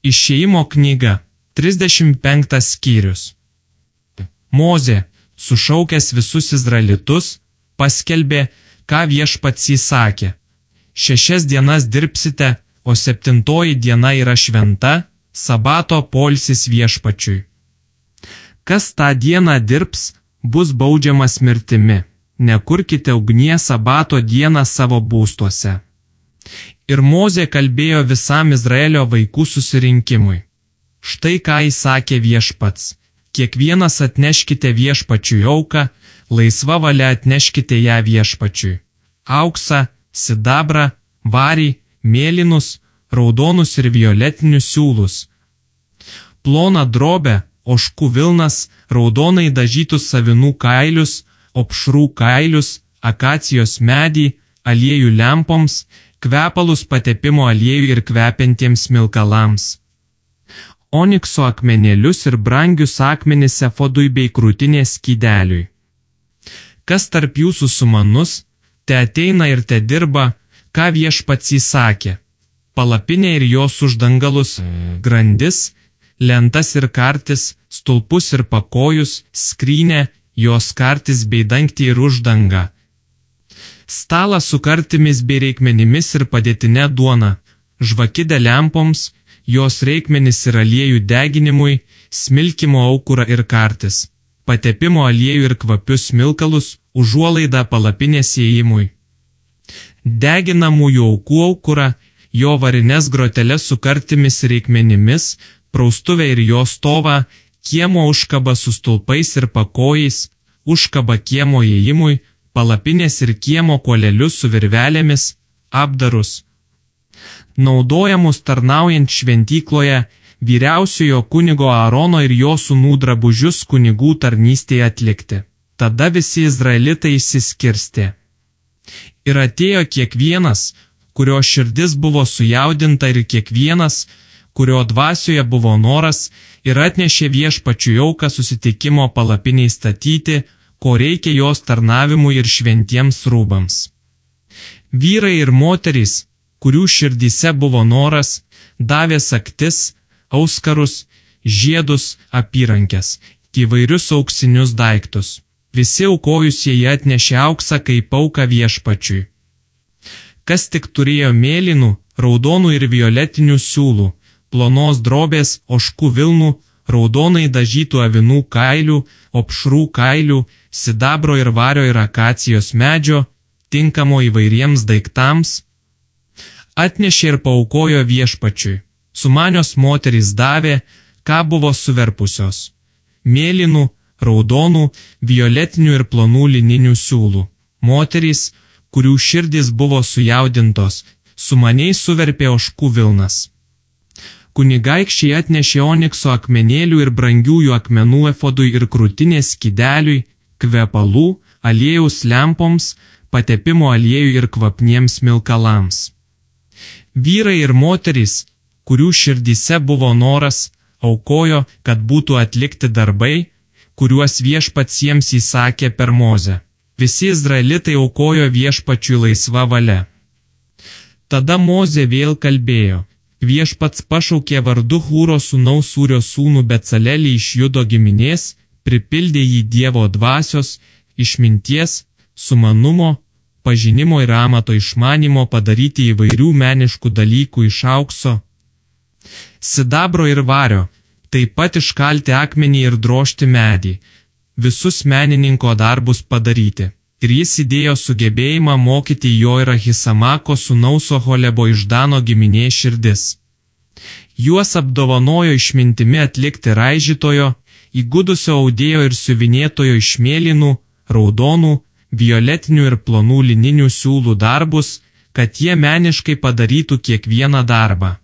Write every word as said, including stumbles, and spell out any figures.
Išėjimo knyga, trisdešimt penktas skyrius. Mozė, sušaukęs visus izraelitus, paskelbė, ką viešpats įsakė. Šešias dienas dirbsite, o septintoji diena yra šventa, sabato poilsis viešpačiui. Kas tą dieną dirbs, bus baudžiamas mirtimi. Nekurkite ugnies sabato dieną savo būstuose. Ir Mozė kalbėjo visam Izraelio vaikų susirinkimui. Štai ką įsakė viešpats. Kiekvienas atneškite viešpačiui auką, laisva valia atneškite ją viešpačiui. Auksą, sidabrą, varį, mėlynus, raudonus ir violetinius siūlus. Ploną drobę, ožkų vilnas, raudonai dažytus avinų kailius, opšrų kailius, akacijos medį, aliejų lempoms, kvepalus patepimo aliejų ir kvepiantiems smilkalams. Onikso akmenėlius ir brangius akmenis efodui bei krūtinės skydeliui. Kas tarp jūsų sumanus, te ateina ir te dirba, ką viešpats įsakė. Palapinę ir jos uždangalus, grandis, lentas ir kartis, stulpus ir pakojus, skrynę, jos kartis bei dangtį ir uždangą. Stalą su kartimis bei reikmenimis ir padėtinę duoną, žvakidę lempoms, jos reikmenis ir aliejų deginimui, smilkimo aukurą ir kartis, patepimo aliejų ir kvapius smilkalus, užuolaidą palapinės įėjimui. Deginamųjų aukų aukurą, jo varines groteles su kartimis ir reikmenimis, praustuvę ir jo stovą, kiemo užkabą su stulpais ir pakojais, užkabą kiemo įėjimui, palapinės ir kiemo kuolelius su virvelėmis, apdarus. Naudojamus tarnaujant šventykloje, vyriausiojo kunigo Aarono ir jo sūnų drabužius kunigų tarnystėje atlikti. Tada visi izraelitai išsiskirstė. Ir atėjo kiekvienas, kurio širdis buvo sujaudinta ir kiekvienas, kurio dvasioje buvo noras, ir atnešė viešpačiui auką susitikimo palapiniai statyti, ko reikia jos tarnavimui ir šventiems rūbams. Vyrai ir moterys, kurių širdyse buvo noras, davė saktis, auskarus, žiedus, apyrankes, įvairius auksinius daiktus. Visi aukojusieji atnešė auksą kaip auką viešpačiui. Kas tik turėjo mėlynų, raudonų ir violetinių siūlų, plonos drobės, ožkų vilnų, raudonai dažytų avinų kailių, opšrų kailių, sidabro ir vario ir akacijos medžio, tinkamo įvairiems daiktams, atnešė ir paaukojo viešpačiui. Sumanios moterys davė, ką buvo suverpusios. Mėlynų, raudonų, violetinių ir plonų lininių siūlų. Moterys, kurių širdys buvo sujaudintos, sumaniai suverpė ožkų vilnas. Kunigaikščiai atnešė onikso akmenėlių ir brangiųjų akmenų efodui ir krūtinės skydeliui, kvepalų, aliejaus lempoms, patepimo aliejų ir kvapniems smilkalams. Vyrai ir moterys, kurių širdyse buvo noras, aukojo, kad būtų atlikti darbai, kuriuos viešpats jiems įsakė per Mozę. Visi izraelitai aukojo viešpačiui laisva valia. Tada Mozė vėl kalbėjo. Viešpats pašaukė vardu Hūro sūnaus Ūrio sūnų Becalelį iš Judo giminės, pripildė jį Dievo dvasios, išminties, sumanumo, pažinimo ir amato išmanimo padaryti įvairių meniškų dalykų iš aukso, sidabro ir vario, taip pat iškalti akmenį ir drožti medį, visus menininko darbus padaryti. Ir jis įdėjo sugebėjimą mokyti jo ir Ahisamako sūnaus Oholebo iš Dano giminės širdis. Juos apdovanojo išmintimi atlikti raižytojo, įgudusio audėjo ir siuvinėtojo iš mėlynų, raudonų, violetinių ir plonų lininių siūlų darbus, kad jie meniškai padarytų kiekvieną darbą.